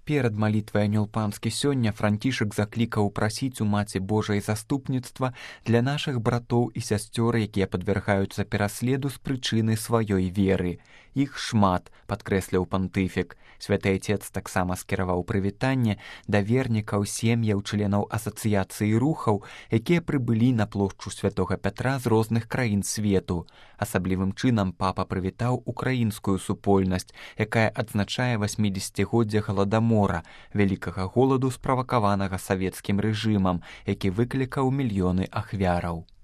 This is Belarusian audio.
Перад малітвай анёл панскі сёння Францішак заклікаў прасіць у Маці Божай заступніцтва для нашых братоў і сясцёр, якія падвяргаюцца пераследу з прычыны сваёй веры. Іх шмат, падкрэсліў пантыфік. Святы Айцец таксама скіраваў прывітанне да вернікаў, сем'яў, членаў асацыяцыі рухаў, якія прыбылі на плошчу святога Пятра з розных краін свету. Асаблівым чынам папа прывітаў украінскую супольнасць, якая адзначае 80годдзе галадамора, вялікага голаду, справакаванага савецкім рэжымам, які выклікаў мільёны ахвяраў.